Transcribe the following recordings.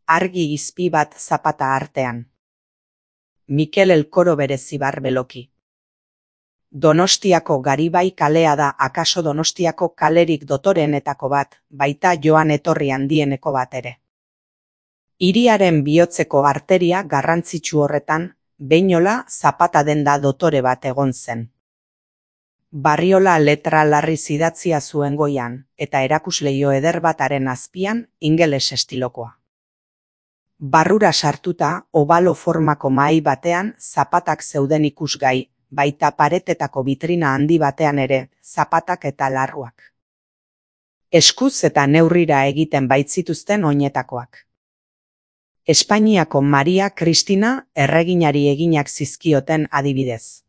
argi izpi bat zapata artean. Mikel Elkoro berezibar beloki. Donostiako Garibai kalea da akaso Donostiako kalerik dotoreenetako bat, baita joan etorri handieneko bat ere. Hiriaren bihotzeko arteria garrantzitsu horretan, Behinola Zapata denda dotore bat egon zen. Barriola letra larriz idatzia zuen goian, eta erakusleio eder bataren azpian ingeles estilokoa. Barrura sartuta, obalo formako mahai batean zapatak zeuden ikusgai, baita paretetako bitrina handi batean ere, zapatak eta larruak. Eskuz eta neurrira egiten baitzituzten oinetakoak. Espainiako Maria Kristina erreginari eginak zizkioten adibidez.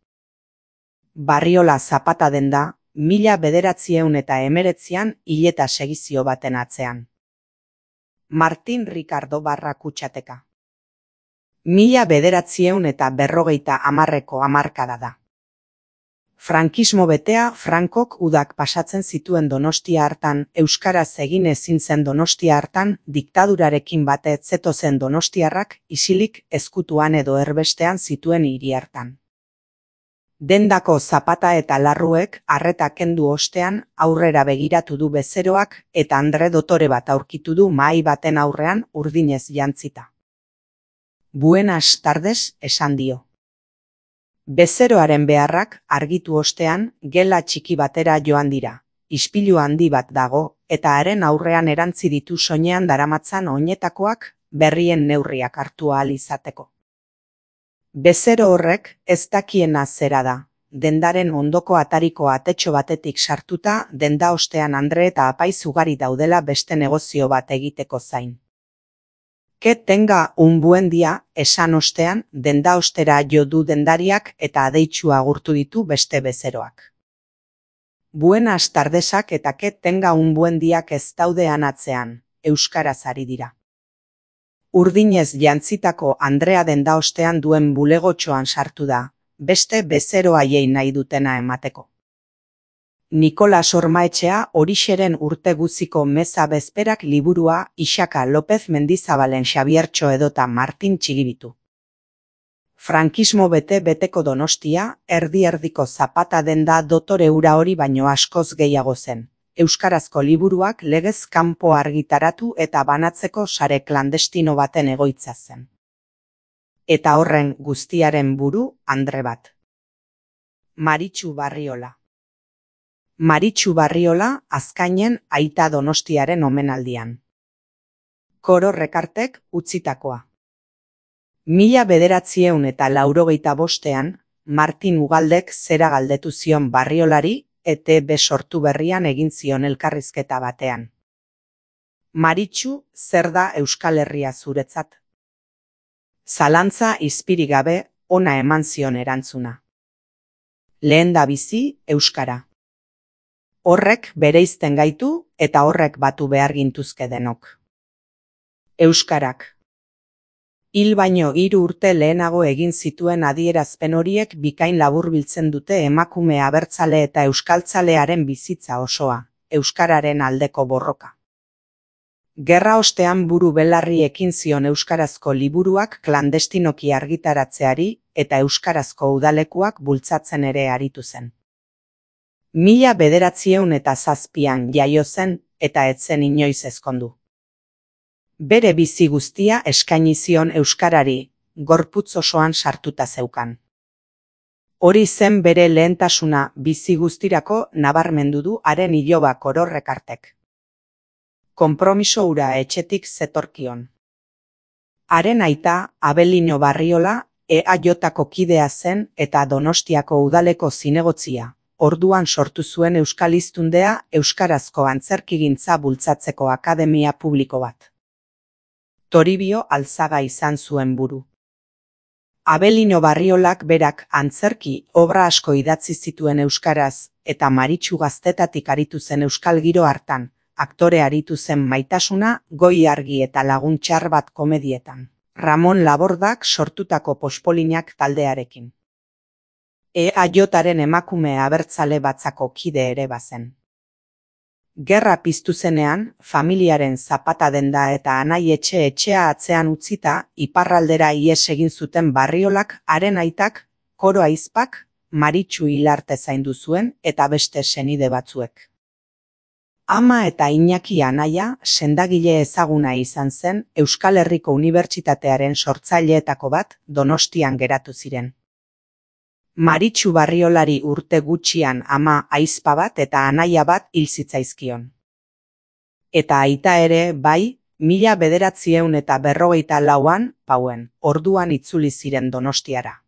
Barriola Zapata denda, 1919an hileta segizio baten atzean. Martin Ricardo barra Kutxateka. 1950ko hamarkada da. Frankismo betea Frankok udak pasatzen zituen Donostia hartan, euskaraz egin ezin zen Donostia hartan, diktadurarekin bate zetozen donostiarrak isilik ezkutuan edo erbestean zituen hiri hartan. Dendako zapata eta larruek arreta kendu ostean aurrera begiratu du bezeroak eta andre dotore bat aurkitu du mahai baten aurrean urdinez jantzita. Buenas tardes, esan dio. Bezeroaren beharrak argitu ostean gela txiki batera joan dira. Ispilu handi bat dago eta haren aurrean erantzi ditu soinean daramatzan oinetakoak berrien neurriak hartu ahal izateko. Bezero horrek ez dakiena zera da, dendaren ondoko atariko atetxo batetik sartuta denda ostean andre eta apaiz ugari daudela beste negozio bat egiteko zain. Que tenga un buen dia, esan ostean, denda ostera jo du dendariak eta adeitsu agurtu ditu beste bezeroak. Buenas tardesak eta que tenga un buen diak ez daudean atzean, euskaraz ari dira. Urdinez jantzitako Andrea denda ostean duen bulegotxoan sartu da, beste bezero haiei nahi dutena emateko. Nikolas Ormaetxea Orixeren urte guziko meza bezperak liburua Ixaka López Mendizabalen Xabiertxo edota Martin Txigibitu. Frankismo beteko Donostia, erdi-erdiko Zapata denda dotore ura hori baino askoz gehiago zen. Euskarazko liburuak legez kanpo argitaratu eta banatzeko sare klandestino baten egoitza zen. Eta horren guztiaren buru andre bat. Maritxu Barriola. Maritxu Barriola azkainen aita Donostiaren omenaldian. Koro Rekartek utzitakoa. 1985ean Martin Ugaldek zera galdetu zion Barriolari ETB sortu berrian egin zion elkarrizketa batean. Maritxu, zer da Euskal Herria zuretzat? Zalantza izpirik gabe ona eman zion erantzuna. Lehendabizi euskara. Horrek bereizten gaitu eta horrek batu behar gintuzke denok. Euskarak. Hil baino 3 urte lehenago egin zituen adierazpen horiek bikain laburbiltzen dute emakume abertzale eta euskaltzalearen bizitza osoa, euskararen aldeko borroka. Gerra ostean buru belarri ekin zion euskarazko liburuak klandestinoki argitaratzeari eta euskarazko udalekuak bultzatzen ere aritu zen. 1907an jaio zen eta ez zen inoiz ezkondu. Bere bizi guztia eskaini zion euskarari, gorputz osoan sartuta zeukan. Hori zen bere lehentasuna bizi guztirako nabarmendu du haren iloba Koro Rekartek. Konpromiso hura etxetik zetorkion. Haren aita, Abelino Barriola, EAJko kidea zen eta Donostiako udaleko zinegotzia, orduan sortu zuen euskaliztundea euskarazko antzerkigintza bultzatzeko akademia publiko bat. Toribio Alzaga izan zuen buru. Abelino Barriolak berak antzerki obra asko idatzi zituen euskaraz eta Maritxu gaztetatik aritu zen euskal giro hartan, aktore aritu zen Maitasuna, Goi argi eta Lagun txar bat komedietan. Ramon Labordak sortutako Pospolinak taldearekin. EAJaren emakume abertzale batzako kide ere bazen. Gerra piztu zenean, familiaren zapata denda eta anai etxea atzean utzita, iparraldera ihes egin zuten Barriolak haren aitak, Koro ahizpak, Maritxu Hilarte zaindu zuen eta beste senide batzuek. Ama eta Iñaki anaia sendagile ezaguna izan zen Euskal Herriko Unibertsitatearen sortzaileetako bat Donostian geratu ziren. Maritxu Barriolari urte gutxian ama ahizpa bat eta anaia bat hil zitzaizkion. Eta aita ere, bai, 1954an, Pauen, orduan itzuli ziren Donostiara.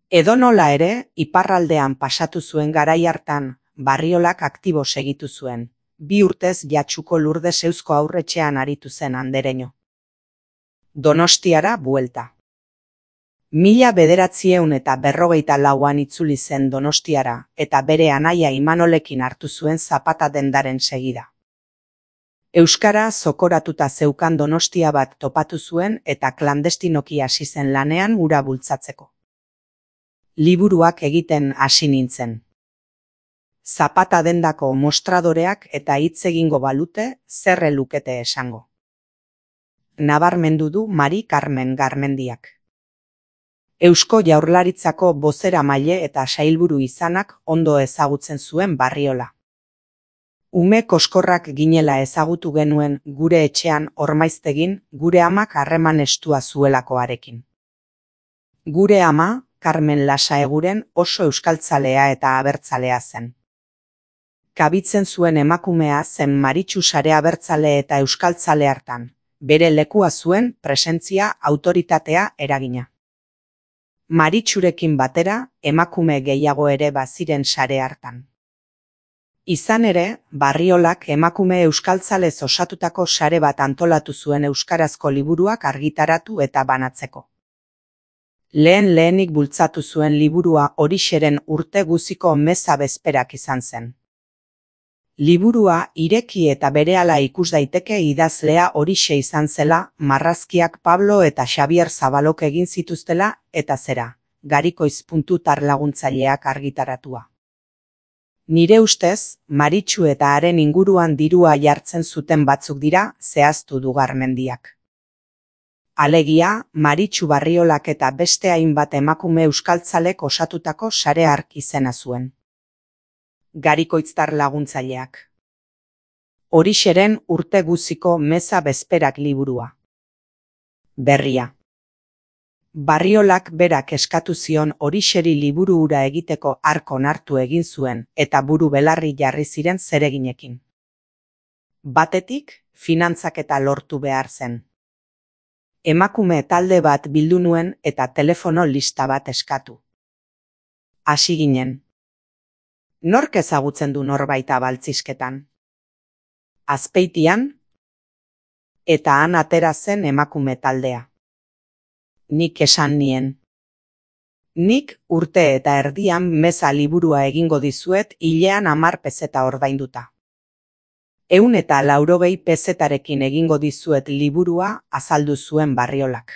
Edonola ere, iparraldean pasatu zuen garai hartan, Barriolak aktibo segitu zuen, 2 urtez Jatsuko Lurdes Eusko Aurretxean aritu zen andereño. Donostiara buelta. 1954an itzuli zen Donostiara eta bere anaia Imanolekin hartu zuen Zapata dendaren segida. Euskara zokoratuta zeukan Donostia bat topatu zuen eta klandestinoki hasi zen lanean hura bultzatzeko. Liburuak egiten hasi nintzen. Zapata dendako mostradoreak eta hitz egingo balute zer lukete esango. Nabarmendu du Mari Carmen Garmendiak. Eusko Jaurlaritzako bozeramaile eta sailburu izanak ondo ezagutzen zuen Barriola. Ume koskorrak ginela ezagutu genuen gure etxean Ormaiztegin gure amak harreman estua zuelakoarekin. Gure ama, Carmen Lasaeguren oso euskaltzalea eta abertzalea zen. Kabitzen zuen emakumea zen Maritxu sare abertzale eta euskaltzale hartan, bere lekua zuen presentzia, autoritatea, eragina. Maritxurekin batera, emakume gehiago ere baziren sare hartan. Izan ere, Barriolak emakume euskaltzalez osatutako sare bat antolatu zuen euskarazko liburuak argitaratu eta banatzeko. Lehenik bultzatu zuen liburua Orixeren urte guziko meza bezperak izan zen. Liburua ireki eta berehala ikus daiteke idazlea Orixe izan zela, marrazkiak Pablo eta Xabier Zabalok egin zituztela, eta zera, Garikoiz.tar laguntzaileak argitaratua. Nire ustez, Maritxu eta haren inguruan dirua jartzen zuten batzuk dira, zehaztu du Garmendiak. Alegia, Maritxu Barriolak eta beste hainbat emakume euskaltzalek osatutako sare hark izena zuen. Garikoitztar laguntzaileak. Orixeren urte guziko meza bezperak liburua. Berria. Barriolak berak eskatu zion Orixeri liburu hura egiteko hark onartu egin zuen eta buru belarri jarri ziren zereginekin. Batetik, finantzaketa lortu behar zen. Emakume talde bat bildu nuen eta telefono lista bat eskatu. Hasi ginen. Nork ezagutzen du norbaita baltzisketan? Azpeitian, eta han atera zen emakume taldea. Nik esan nien. Nik urte eta erdian meza liburua egingo dizuet hilean 10 pezeta ordainduta. 180 pezetarekin egingo dizuet liburua azaldu zuen Barriolak.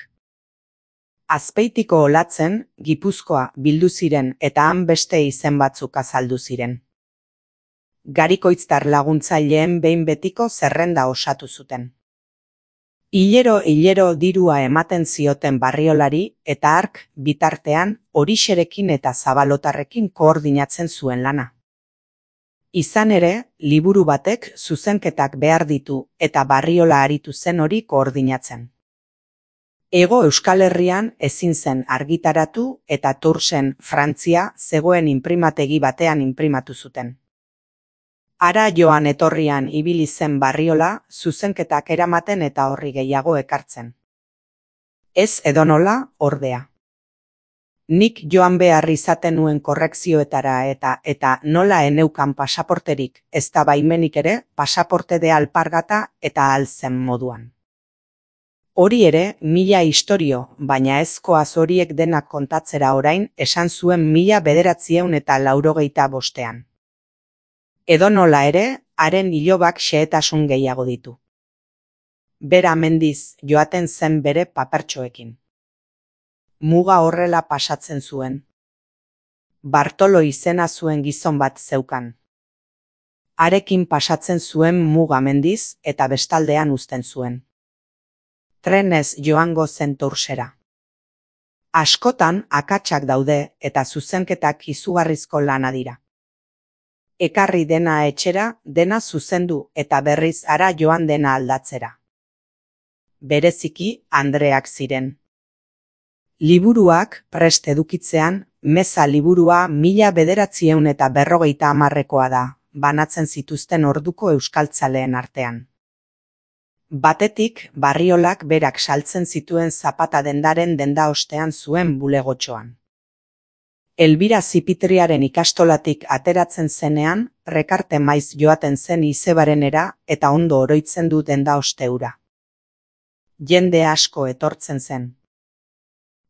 Azpeitiko Olatzen, Gipuzkoa bildu ziren eta han beste izen batzuk azaldu ziren. Garikoitztar laguntzaileen behin betiko zerrenda osatu zuten. Hilero dirua ematen zioten Barriolari eta hark bitartean Orixerekin eta Zabalotarrekin koordinatzen zuen lana. Izan ere, liburu batek zuzenketak behar ditu eta Barriola aritu zen hori koordinatzen. Hego Euskal Herrian ezin zen argitaratu eta Toursen, Frantzia, zegoen inprimategi batean inprimatu zuten. Hara joan etorrian ibili zen Barriola, zuzenketak eramaten eta horri gehiago ekartzen. Ez edonola, ordea. Nik joan behar izaten nuen korrekzioetara eta nola eneukan pasaporterik, ez da baimenik ere, pasaporte de alpargata eta alzen moduan. Hori ere, 1000 istorio, baina ezkoaz horiek denak kontatzera orain, esan zuen 1985. Edonola ere, haren ilobak xehetasun gehiago ditu. Bera mendiz joaten zen bere papertxoekin. Muga horrela pasatzen zuen. Bartolo izena zuen gizon bat zeukan. Harekin pasatzen zuen muga mendiz eta bestaldean uzten zuen. Trenez joango zen Toursera. Askotan akatsak daude eta zuzenketak izugarrizko lana dira. Ekarri dena etxera, dena zuzendu eta berriz hara joan dena aldatzera. Bereziki Andreak ziren. Liburuak prest edukitzean, Meza liburua 1950ekoa da, banatzen zituzten orduko euskaltzaleen artean. Batetik, Barriolak berak saltzen zituen zapata dendaren denda ostean zuen bulegotxoan. Elbira Zipitriaren ikastolatik ateratzen zenean, Rekarte maiz joaten zen Izebarenera eta ondo oroitzen du denda osteura. Jende asko etortzen zen.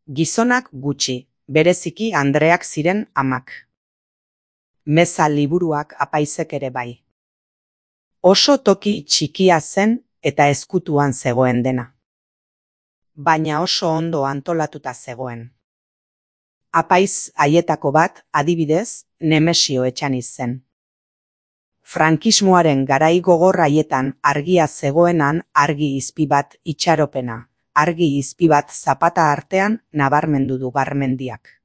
Gizonak gutxi, bereziki Andreak ziren amak. Meza liburuak apaizek ere bai. Oso toki txikia zen eta ezkutuan zegoen dena. Baina oso ondo antolatuta zegoen. Apaiz haietako bat, adibidez, Nemesio Etxaniz zen. Frankismoaren garai gogor haietan argia zegoenan argi izpi bat itxaropena, argi izpi bat zapata artean nabarmendu du Garmendiak.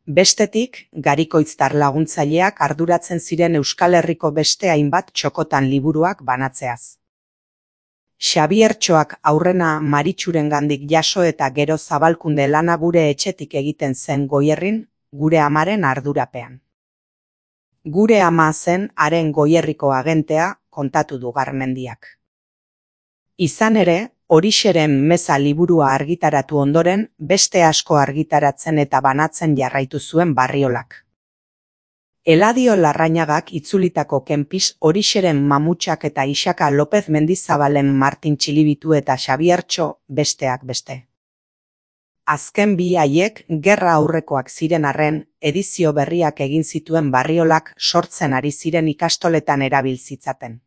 Bestetik, Garikoitztar laguntzaileak arduratzen ziren Euskal Herriko beste hainbat txokotan liburuak banatzeaz. Xabiertxoak aurrena Maritxurengandik jaso eta gero zabalkunde lana gure etxetik egiten zen Goierrin, gure amaren ardurapean. Gure ama zen haren Goierriko agentea, kontatu du Garmendiak. Izan ere, Orixeren Meza liburua argitaratu ondoren, beste asko argitaratzen eta banatzen jarraitu zuen Barriolak. Eladio Larrañagak itzulitako Kenpis Orixeren Mamutxak eta Isaka López Mendizabalen Martin Txilibitu eta Xabiertxo besteak beste. Azken bi haiek gerra aurrekoak ziren arren, edizio berriak egin zituen Barriolak sortzen ari ziren ikastoletan erabil zitzaten.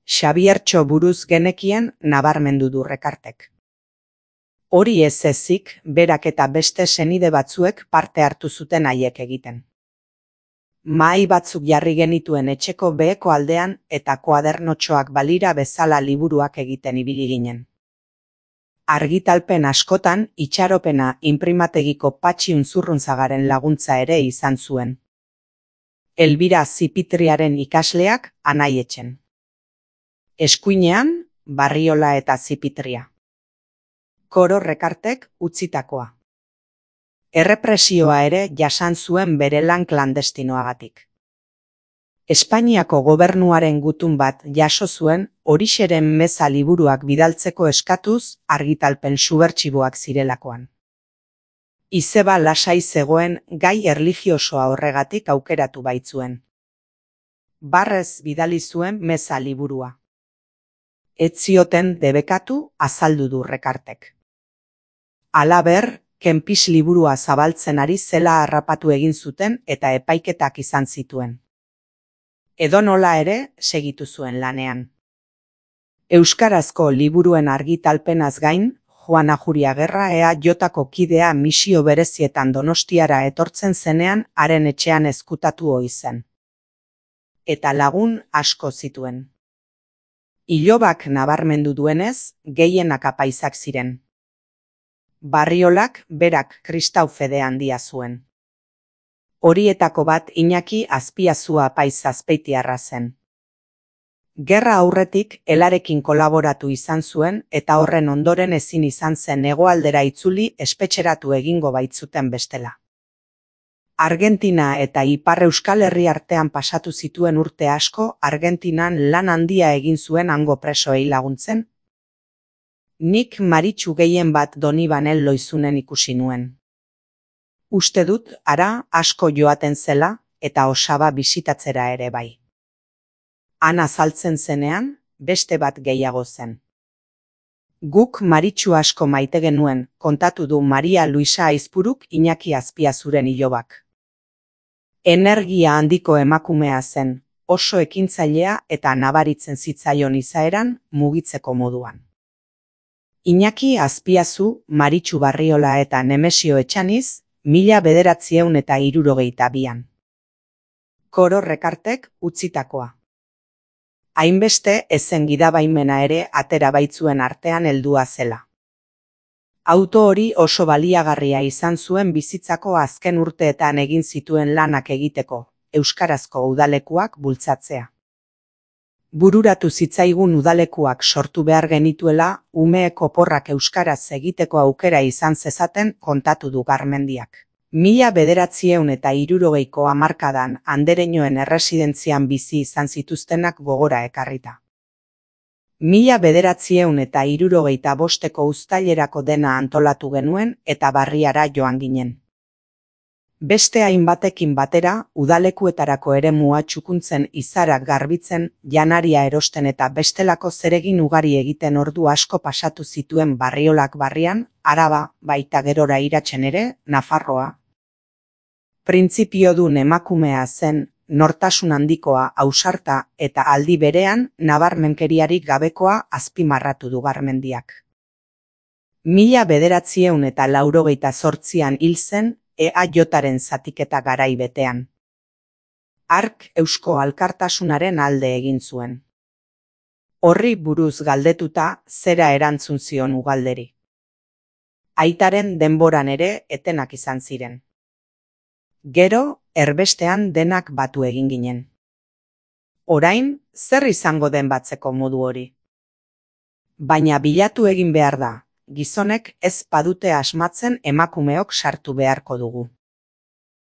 Xabiertxo buruz genekien nabarmendu du Rekartek. Hori ez ezik, berak eta beste senide batzuek parte hartu zuten haiek egiten. Mahai batzuk jarri genituen etxeko beheko aldean eta koadernotxoak balira bezala liburuak egiten ibili ginen. Argitalpen askotan itxaropena inprimategiko Patxi Unzurrunzagaren laguntza ere izan zuen. Elbira Zipitriaren ikasleak Anaietxen. Eskuinean, Barriola eta Zipitria. Koro Rekartek utzitakoa. Errepresioa ere jasan zuen bere lan klandestinoagatik. Espainiako gobernuaren gutun bat jaso zuen Orixeren Meza liburuak bidaltzeko eskatuz argitalpen subertsiboak zirelakoan. Izeba lasai zegoen gai erlijiosoa horregatik aukeratu baitzuen. Barrez bidali zuen Meza liburua. Ez zioten debekatu azaldu du Rekartek. Halaber, Kenpis liburua zabaltzen ari zela harrapatu egin zuten eta epaiketak izan zituen. Edonola ere segitu zuen lanean. Euskarazko liburuen argitalpenaz gain, Juan Ajuriagerra EAJko kidea misio berezietan Donostiara etortzen zenean haren etxean ezkutatu ohi zen. Eta lagun asko zituen. Ilobak nabarmendu duenez, gehienak apaizak ziren. Barriolak berak kristau fede handia zuen. Horietako bat Iñaki Azpiazua apaiz azpeitiarra zen. Gerra aurretik Elarekin kolaboratu izan zuen eta horren ondoren ezin izan zen hegoaldera itzuli espetxeratu egingo baitzuten bestela. Argentina eta Ipar Euskal Herri artean pasatu zituen urte asko Argentinan lan handia egin zuen hango presoei laguntzen. Nik Maritxu gehien bat Donibanel Loizunen ikusi nuen. Uste dut hara asko joaten zela eta Osaba bisitatzera ere bai. Han azaltzen zenean, beste bat gehiago zen. Guk Maritxu asko maite genuen, kontatu du Maria Luisa Aizpuruk Iñaki Azpiazuren ilobak. Energia handiko emakumea zen, oso ekintzailea eta nabaritzen zitzaion izaeran mugitzeko moduan. Iñaki Azpiazu, Maritxu Barriola eta Nemesio Etxaniz, 1962an. Koro Rekartek utzitakoa. Hainbeste ezen gidabaimena ere atera baitzuen artean heldua zela. Auto hori oso baliagarria izan zuen bizitzako azken urteetan egin zituen lanak egiteko, euskarazko udalekuak bultzatzea. Bururatu zitzaigun udalekuak sortu behar genituela, umeek oporrak euskaraz egiteko aukera izan zezaten kontatu du Garmendiak. 1960ko hamarkadan andereñoen erresidentzian bizi izan zituztenak gogora ekarrita. 1965ko uztailerako dena antolatu genuen eta barriara joan ginen. Beste hainbatekin batera, udalekuetarako eremua txukuntzen, izarak garbitzen, janaria erosten eta bestelako zeregin ugari egiten ordu asko pasatu zituen Barriolak barrian, Araba, baita gerora iratzen ere, Nafarroa. Printzipiodun emakumea zen, nortasun handikoa, ausarta eta aldi berean nabarmenkeriarik gabekoa azpimarratu du Garmendiak. 1988an hil zen EAJaren zatiketa garai betean. Hark Eusko Alkartasunaren alde egin zuen. Horri buruz galdetuta zera erantzun zion Ugalderi. Aitaren denboran ere etenak izan ziren. Gero, erbestean denak batu egin ginen. Orain, zer izango den batzeko modu hori? Baina bilatu egin behar da, gizonek ez badute asmatzen emakumeok sartu beharko dugu.